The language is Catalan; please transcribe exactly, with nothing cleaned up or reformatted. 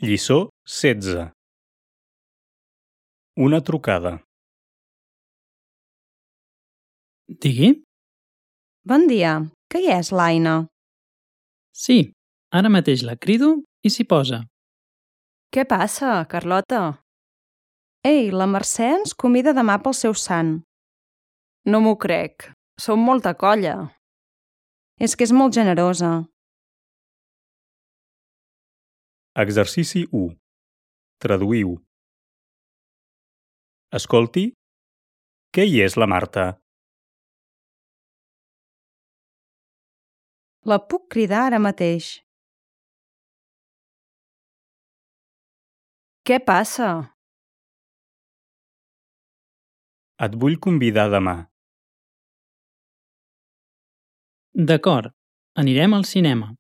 Lliçó setze. Una trucada. Digui? Bon dia, que hi és l'Aina? Sí, ara mateix la crido i s'hi posa. Què passa, Carlota? Ei, la Mercè ens convida demà pel seu sant. No m'ho crec, som molta colla. És que és molt generosa. Exercici u. Traduïu. Escolti, què hi és la Marta? La puc cridar ara mateix. Què passa? Et vull convidar demà. D'acord, anirem al cinema.